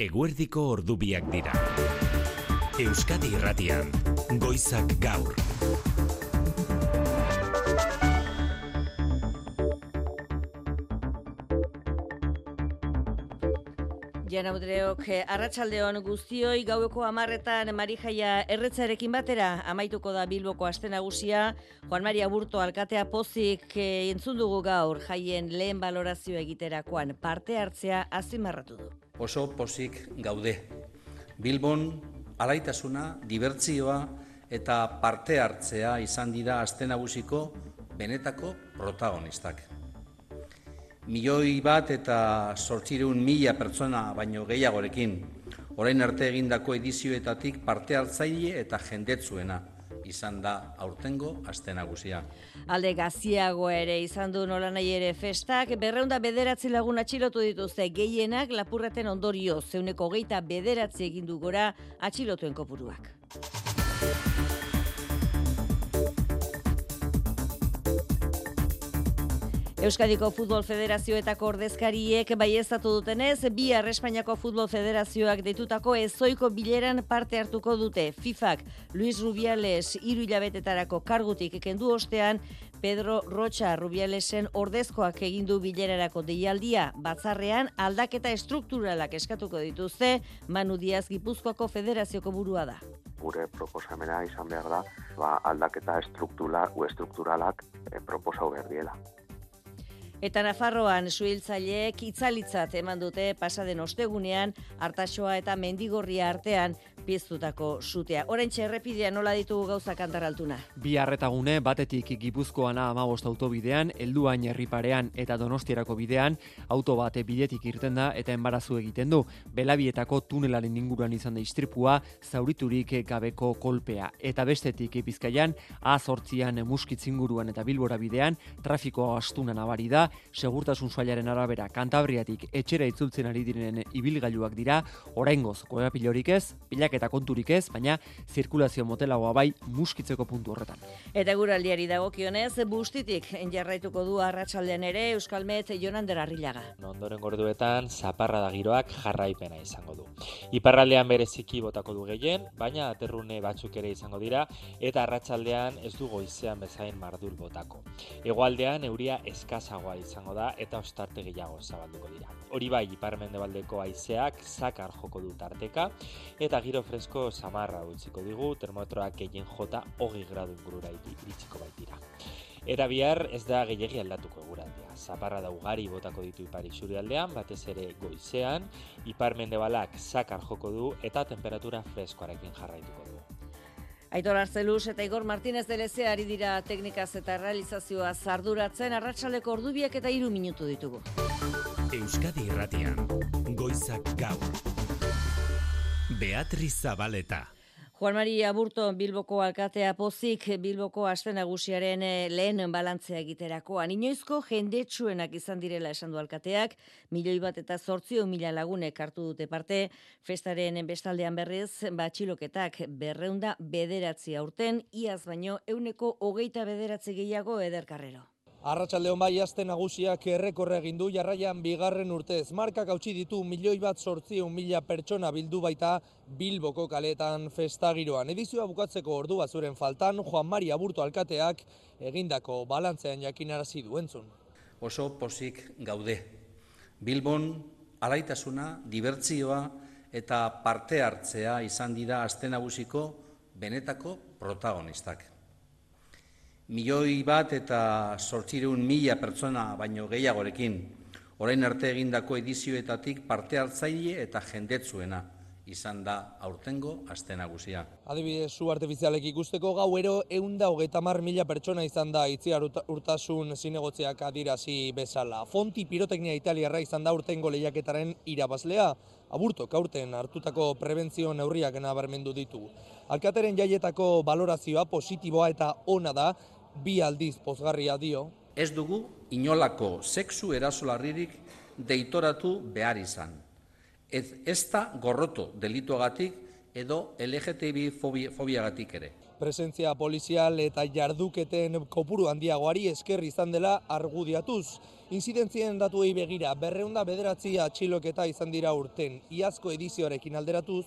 Eguerdiko ordubiak dira. Euskadi Irratian, Goizak Gaur. Jaun-andreok, arratsaldeon guztioi, gaueko 10etan Marijaia erretzarekin batera amaituko da Bilboko aste nagusia. Juan Mari Aburto alkatea pozik entzun dugu gaur jaien lehen balorazio egiterakoan parte hartzea azpimarratu du. Oso pozik gaude. Bilbon alaitasuna, dibertsioa eta parte hartzea izan dira aste nagusiko benetako protagonistak. 1.800.000 pertsona baino gehiagorekin, orain arte egindako edizioetatik parte hartzaile eta jendetsuena izan da aurtengo aste nagusia. Alde gaziagoa ere izan du nolanahi ere festak, 209 lagun atxilotu dituzte, gehienak lapurreten ondorioz, 29 egin du gora atxilotuen kopuruak. Euskadiko Futbol Federazioetako ordezkariek baieztatu dutenez, bihar Espainiako Futbol Federazioak deitutako ezoiko bileran parte hartuko dute. FIFAk Luis Rubiales 3 hilabetetarako kargutik kendu ostean, Pedro Rocha Rubialesen ordezkoak egindu bilerarako deialdia, batzarrean aldaketa estrukturalak eskatuko dituzte. Manu Diaz Gipuzkoako Federazioko burua da. Gure proposamena izan behar da, aldaketa estrukturalak proposau behar diela. Eta Nafarroan suhiltzaileek itzalitzat eman dute pasaden ostegunean Artaxoa eta Mendigorria artean piztutako sutea. Oraintxe errepidean nola ditugu gauzak Antarraltuna? Bi arretagune batetik Gipuzkoana 15 autobidean, helduain herriparean eta Donostierako bidean, auto bate bidetik irten da eta enbarazu egiten du. Belabietako tunelaren inguruan izan da istripua, zauriturik gabeko kolpea. Eta bestetik Bizkaian, A8an Muskitz inguruan eta Bilbora bidean, trafikoa astuna nabari da. Segurtasun sailaren arabera Kantabriatik etxera itzultzen ari direnen ibilgailuak dira, oraingoz korapilorik ez, pilaketa konturik ez, baina zirkulazio motelagoa bai Muskitzeko puntu horretan. Eta eguraldiari dagokionez, bustitik jarraituko du arratsaldean ere Euskalmet Jonander Arrillaga. Ondoren gorduetan zaparrada giroak jarraipena izango du. Iparraldean bereziki botako du gehien, baina aterrune batzuk ere izango dira eta arratsaldean ez du goizean bezain mardul botako. Hegoaldean euria eskasagoa izango da eta ostarte gehiago zabalduko dira. Hori bai, ipar-mendebaldeko haizeak zakar joko du tarteka eta giro fresko samarra utziko digu, termometroak gehien jota 20 gradu ingurura iritsiko baitira. Eta bihar ez da gehiegi aldatuko eguraldia. Zaparrada ugari botako ditu ipar isurialdean, batez ere goizean, ipar-mendebalak zakar joko du eta temperatura freskoarekin jarraituko du. Aitor Arzeluz eta Igor Martínez de Lezea ari dira teknikaz eta realizazioa arduratzen, arratsaldeko ordubiak eta 3 minutu ditugu. Euskadi Irratian, Goizak Gaur. Beatriz Zabaleta. Juan Mari Aburto Bilboko alkatea pozik Bilboko aste nagusiaren lehen balantzea egiterakoan. Inoizko jendetsuenak izan direla esan du alkateak, 1.800.000 lagunek hartu dute parte, festaren bestaldean berriz, atxiloketak 209 aurten, iaz baino 129 gehiago Eder Carrero. Arratsaldeon bai aste nagusiak errekorra egin du jarraian bigarren urtez. Markak hautsi ditu 1.800.000 pertsona bildu baita Bilboko kaletan festagiroan. Edizioa bukatzeko ordu bazuren faltan, Juan Mari Aburto alkateak egindako balantzean jakinarazi du entzun. Oso pozik gaude. Bilbon alaitasuna, dibertsioa eta parte hartzea izan dira aste nagusiko benetako protagonistak. 1.800.000 pertsona baino gehiagorekin, orain arte egindako edizioetatik parte hartzaile eta jendetsuena izan da aurtengo aste nagusia. Adibidez, su artifizialek ikusteko gauero 130.000 pertsona izan da Itziar Urtasun zinegotziak adirazi bezala. Fonti piroteknia italiarra izan da aurtengo lehiaketaren irabazlea. Aburtok aurten hartutako prebentzio neurriak nabarmendu ditu. Alkateren jaietako balorazioa positiboa eta ona da, 2 aldiz pozgarria dio. Ez dugu inolako sexu erasolarririk deitoratu behar izan. Ez da gorroto delituagatik edo LGTBI fobiagatik ere. presentzia polizial eta jarduketen kopuru handiagoari esker izan dela argudiatuz. Inzidentzien datuei begira, 209 atxiloketa izan dira urten, iazko edizioarekin alderatuz,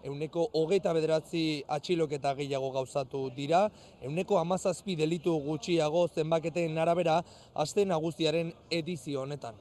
129 atxiloketa gehiago gauzatu dira, 117 delitu gutxiago zenbaketen arabera aste nagusiaren edizio honetan.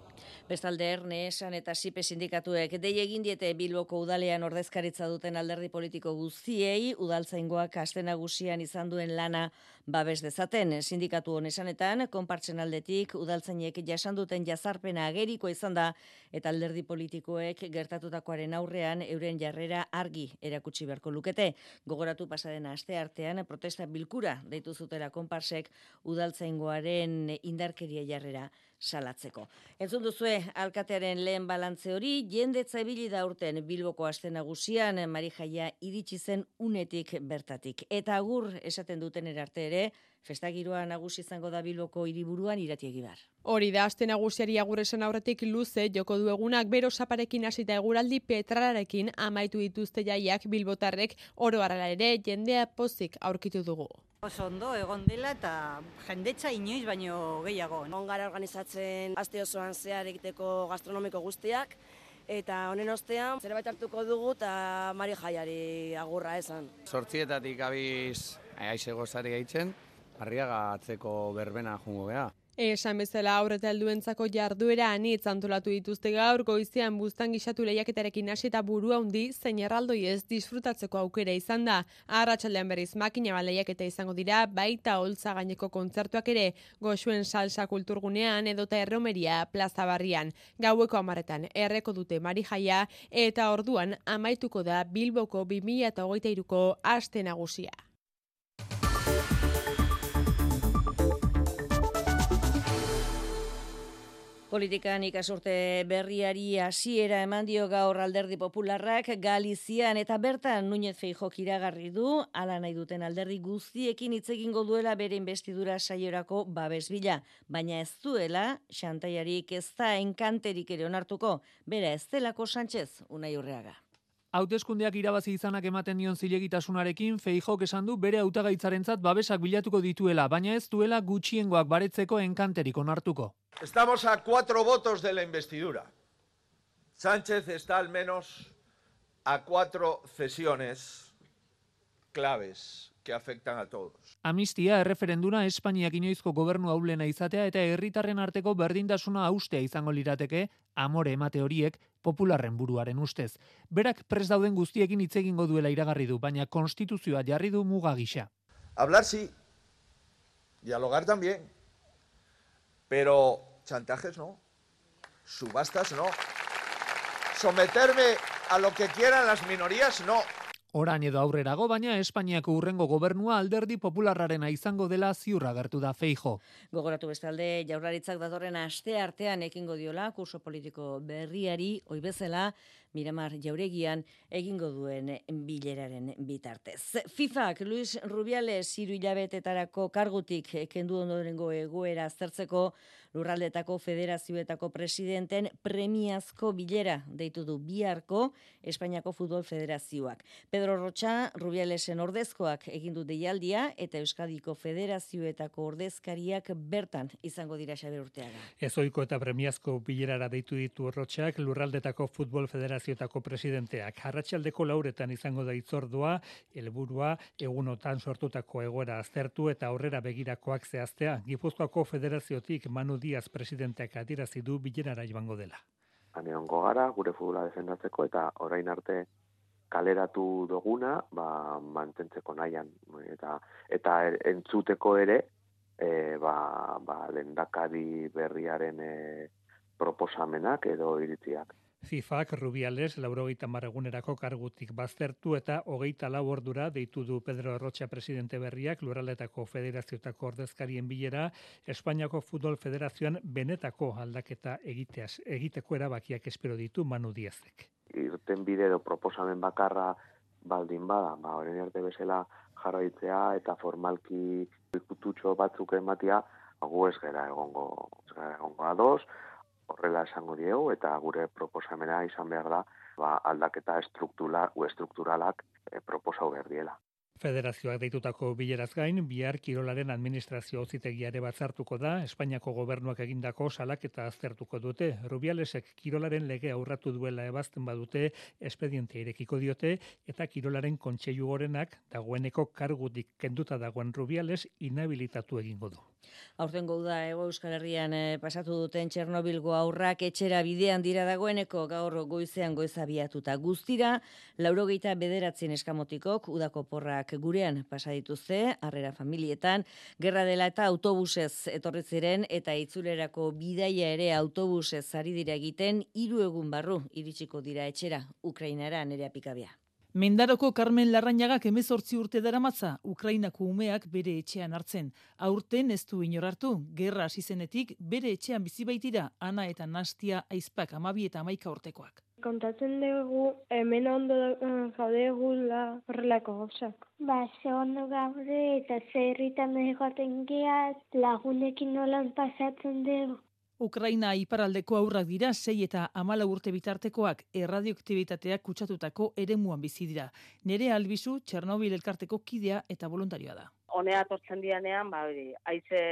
Bestalde Erne, Esan eta Sipe sindikatuek dei egin diete Bilboko udalean ordezkaritza duten alderdi politiko guztiei udaltzaingoak aste nagusian izan duen lana babes dezaten. Sindikatu honesanetan, konpartzen aldetik udaltzainek jasan duten jazarpena ageriko izan da eta alderdi politikoek gertatutakoaren aurrean euren jarrera argi erakutsi beharko lukete. Gogoratu pasaden aste artean protesta bilkura deitu zutela konparsek udaltzaingoaren indarkeria jarrera salatzeko. Entzun duzue alkatearen lehen balantze hori, jendetza ibili da urten Bilboko aste nagusian Marijaia iritsi zen unetik bertatik. Eta agur esaten duten erarte ere, festagiroa nagusi izango da Bilboko hiriburuan Irati Egibar. Hori da aste nagusiari agur esan aurretik luze joko du egunak bero saparekin hasita eguraldi petralarekin amaitu dituzte jaiak bilbotarrek oro harala ere jendea pozik aurkitu dugu. Oso ondo egon dela eta jendetza inoiz baino gehiago. Egon gara organizatzen aste osoan zehar egiteko gastronomiko guztiak eta honen ostean zerbait hartuko dugu eta Marijaiari agurra esan. 8:00 abiz aize gozari gaitzen, Arriaga atzeko berbena jungo gea. Esan bezala aurreta helduentzako jarduera anitz antolatu dituzte gaur goizean buztan gixatu lehiaketarekin hasi eta burua handi zein erraldoi ez disfrutatzeko aukera izan da. Arratsaldean berriz makina bat lehiaketa izango dira, baita holtza gaineko kontzertuak ere, Goxuen salsa kulturgunean edota Erromeria plaza barrian. Gaueko 10:00 erreko dute Marijaia eta orduan amaituko da Bilboko 2023ko aste nagusia. Politikan ikasurte berriari hasiera eman dio gaur Alderdi Popularrak Galizian eta bertan Núñez Feijóok iragarri du hala nahi duten alderdi guztiekin hitz egingo duela bere inbestidura saiorako babes bila, baina ez duela xantaiarik ez da enkanterik ere onartuko, bera ez delako Sánchez, Unai Urreaga. Hauteskundeak irabazi izanak ematen dion zilegitasunarekin Feijóok esan du bere hautagaitzarentzat babesak bilatuko dituela, baina ez duela gutxiengoak baretzeko enkanterik onartuko. Estamos a 4 votos de la investidura. Sánchez está al menos a 4 cesiones claves que afectan a todos. Amnistia erreferenduna Espainiak inoizko gobernu ahulena izatea eta herritarren arteko berdintasuna haustea izango lirateke amore emate horiek Popularren buruaren ustez. Berak prest dauden guztiekin hitz egingo duela iragarri du, baina konstituzioa jarri du muga gisa. Hablar sí, dialogar también, pero chantajes no, subastas no, someterme a lo que quieran las minorías no. Orain edo aurrerago, baina Espainiako hurrengo gobernua Alderdi Popularrarena izango dela ziurra agertu da Feijóo. Gogoratu bestalde Jaurlaritzak datorren aste artean ekingo diola kurso politiko berriari, ohi bezala Miramar Jauregian egingo duen bileraren bitartez. FIFAk Luis Rubiales 3 hilabetetarako kargutik kendu ondorengo egoera aztertzeko Lurraldetako Federazioetako presidenten premiazko bilera deitu du biharko Espainiako Futbol Federazioak. Pedro Rocha Rubialesen ordezkoak egin du deialdia eta Euskadiko Federazioetako ordezkariak bertan izango dira Xabier Urteaga. Ezohiko eta premiazko bilerara deitu ditu Rochak Lurraldetako Futbol Federazioetako presidenteak. Arratsaldeko 4:00 izango da hitzordua, helburua egunotan sortutako egoera aztertu eta aurrera begirakoak zehaztea. Gipuzkoako Federaziotik Manu Diaz presidenteak adierazi du bilerara joango dela. Haneongo gara, gure futbola defendatzeko eta orain arte kaleratu duguna, mantentzeko nahian eta entzuteko ere, lehendakari berriaren proposamenak edo iritziak. FIFAk Rubiales 80 egunerako kargutik baztertu eta 24 ordura deitu du Pedro Rocha presidente berriak Lurraldetako Federazioetako ordezkarien bilera Espainiako Futbol Federazioan benetako aldaketa egiteko erabakiak espero ditu Manu Diazek. Irten bide edo proposamen bakarra baldin bada, orain arte bezala jarraitzea eta formalki ikututxo batzuk ematia, gu ez gara egongo ados, horrela esango diegu eta gure proposamena izan behar da aldaketa estrukturalak proposau behar diela. Federazioak deitutako bileraz gain, bihar kirolaren administrazio auzitegiare batzartuko da, Espainiako gobernuak egindako salaketa aztertuko dute. Rubialesek kirolaren legea urratu duela ebazten badute, espedientea irekiko diote, eta kirolaren kontseilu gorenak dagoeneko kargutik kenduta dagoen Rubiales inhabilitatu egingo du. Aurtengo uda Hego Euskal Herrian pasatu duten Txernobilgo haurrak etxera bidean dira dagoeneko gaur goizean goizabiatuta. Guztira, 89 eskamotikok udako porrak gurean pasa dituzte, harrera familietan, gerra dela eta autobusez etorri ziren eta itzulerako bidaia ere autobusez ari dira egiten 3 egun barru iritsiko dira etxera, Ukrainara Nerea Pikabea. Mendaroko Carmen Larrañagak 18 urte daramatza Ukrainako umeak bere etxean hartzen. Aurten ez du inor hartu, gerra hasi zenetik bere etxean bizi baitira Ana eta Nastia aizpak 12 eta 11 urtekoak. Kontatzen dugu hemen ondo gaudegula horrelako gauzak. Ze ondo gaude eta zerritan egoten geaz, lagunekin nolan pasatzen dugu. Ukraina iparraldeko haurrak dira 6 eta 14 urte bitartekoak erradioaktibitateak kutsatutako eremuan bizi dira. Nerea Albizu, Txernobil elkarteko kidea eta voluntarioa da. Honea atortzen dianean, haize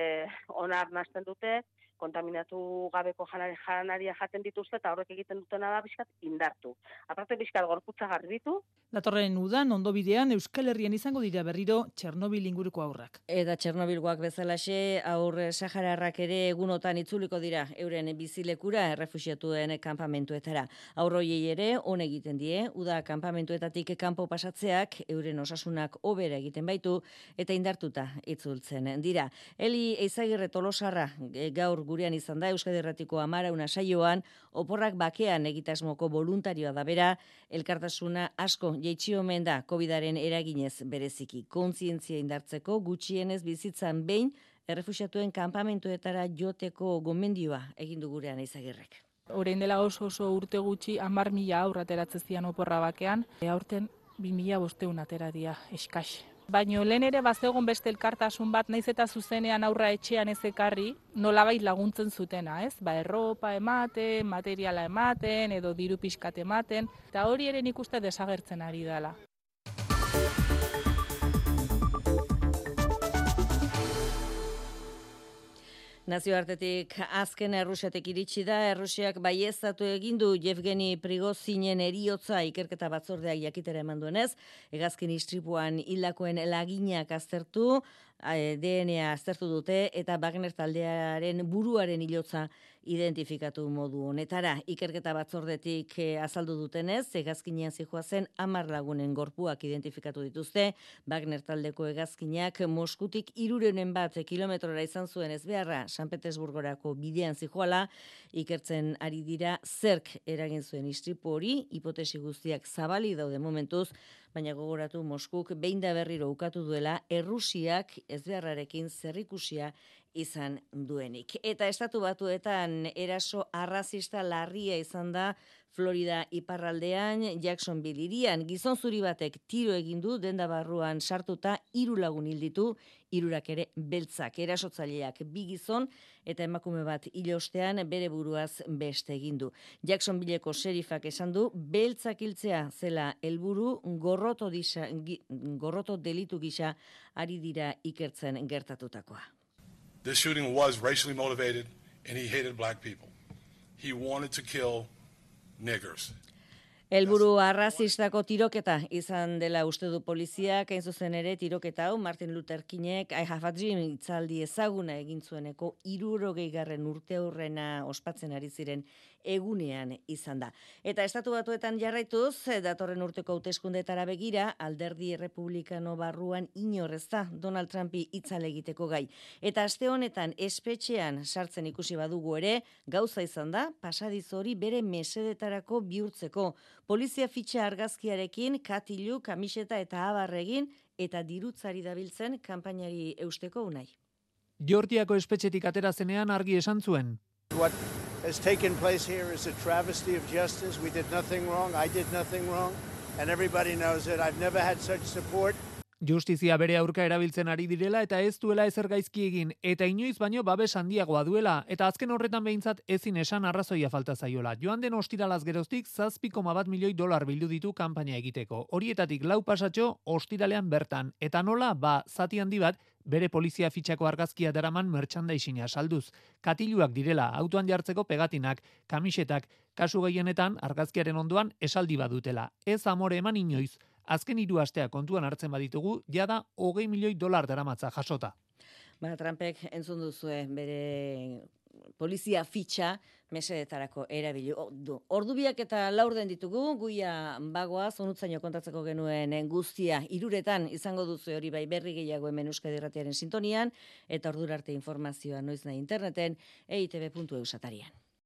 onar nazten dute, kontaminatu gabeko janaria jaten dituzte eta horrek egiten dutena da bizkat indartu. Aparte bizkat gorputza garbitu. Datorren udan ondo bidean Euskal Herrian izango dira berriro Txernobil inguruko haurrak. Eta Txernobilgoak bezalaxe haur sahararrak ere egunotan itzuliko dira euren bizilekura errefuxiatuen kanpamentuetara. Haurroiei ere on egiten die, uda kanpamentuetatik kanpo pasatzeak euren osasunak hobera egiten baitu eta indartuta itzultzen dira. Eli Eizagirre Tolosarra gaur gurean izan da Euskadi Irratiko 10 saioan, oporrak bakean egitasmoko voluntarioa da bera, elkartasuna asko jaitsi omen da Covidaren eraginez bereziki. Kontzientzia indartzeko gutxienez bizitzan behin errefuxiatuen kanpamentuetara joteko gomendioa egin du gurean Eizagirrek. Orain dela oso urte gutxi 10.000 haur ateratzen zian oporra bakean, aurten 2.500 atera dira eskas. Baina lehen ere bazegon beste elkartasun bat, naiz eta zuzenean aurra etxean ez ekarri, nolabait laguntzen zutena, ez? Erropa ematen, materiala ematen, edo diru pixkat ematen, eta hori ere nik uste desagertzen ari dela. Nazioartetik azken Errusiatik iritsi da, Errusiak baieztatu egin du Yevgeni Prigozhinen heriotza ikerketa batzordeak jakitera eman duenez, hegazkin istripuan hildakoen laginak aztertu, DNA aztertu dute eta Wagner taldearen buruaren hilotza identifikatu modu honetara. Ikerketa batzordetik azaldu dutenez, hegazkinean zihoazen 10 lagunen gorpuak identifikatu dituzte. Wagner taldeko hegazkinak Moskutik 300 kilometrora izan zuen ezbeharra San Petersburgorako bidean zihoala, ikertzen ari dira zerk eragin zuen istripu hori, hipotesi guztiak zabali daude momentuz, baina gogoratu Moskuk behin da berriro ukatu duela Errusiak ezbeharrarekin zerikusia izan duenik. Eta Estatu Batuetan eraso arrazista larria izan da Florida iparraldean, Jacksonville hirian, gizon zuri batek tiro egin du denda barruan sartuta 3 lagun hil ditu, 3 ere beltzak, erasotzaileak 2 gizon eta emakume bat hil ostean bere buruaz beste egin du. Jacksonvilleko serifak esan du beltzak hiltzea zela helburu, gorroto delitu gisa ari dira ikertzen gertatutakoa. This shooting was racially motivated and he hated black people. He wanted to kill niggers. Helburu arrazistako tiroketa izan dela uste du poliziak, hain zuzen ere tiroketa hau Martin Luther Kingek I have a dream hitzaldi ezaguna egin zueneko 60. urteurrena ospatzen ari ziren egunean izan da. Eta Estatu Batuetan jarraituz, datorren urteko hauteskundeetara begira, alderdi republikano barruan inor ez da Donald Trumpi hitzale egiteko gai. Eta aste honetan espetxean sartzen ikusi badugu ere, gauza izan da, pasadizo hori bere mesedetarako bihurtzeko. Polizia fitxa argazkiarekin, katilu, kamiseta eta abarregin, eta dirutzari dabiltzen kanpainari eusteko unai. Georgiako espetxetik atera zenean argi esan zuen. What has taken place here is a travesty of justice. We did nothing wrong. I did nothing wrong. And everybody knows it. I've never had such support. Justizia bere aurka erabiltzen ari direla eta ez duela ezer gaizki egin, eta inoiz baino babes handiagoa duela, eta azken horretan behintzat ezin esan arrazoia falta zaiola. Joan den ostiralaz geroztik 7,1 milioi dolar bildu ditu kanpaina egiteko. Horietatik 4 pasatxo ostiralean bertan, eta nola, zati handi bat, bere polizia fitxako argazkia daraman merchandising-a salduz. Katiluak direla, autoan jartzeko pegatinak, kamisetak, kasu gehienetan argazkiaren ondoan esaldi badutela. Ez amore eman inoiz. Azken 3 astea kontuan hartzen baditugu, jada 20 milioi dolar daramatza jasota. Trumpek entzun duzue bere polizia fitxa mesedetarako erabili. Ordubiak eta 4 ditugu, guia bagoa, zonutzaino kontatzeko genuen guztia 3 izango duzu hori bai berri gehiago hemen Euskadi Irratiaren sintonian, eta ordura arte informazioa noiz nahi interneten, eitb.eus atarian.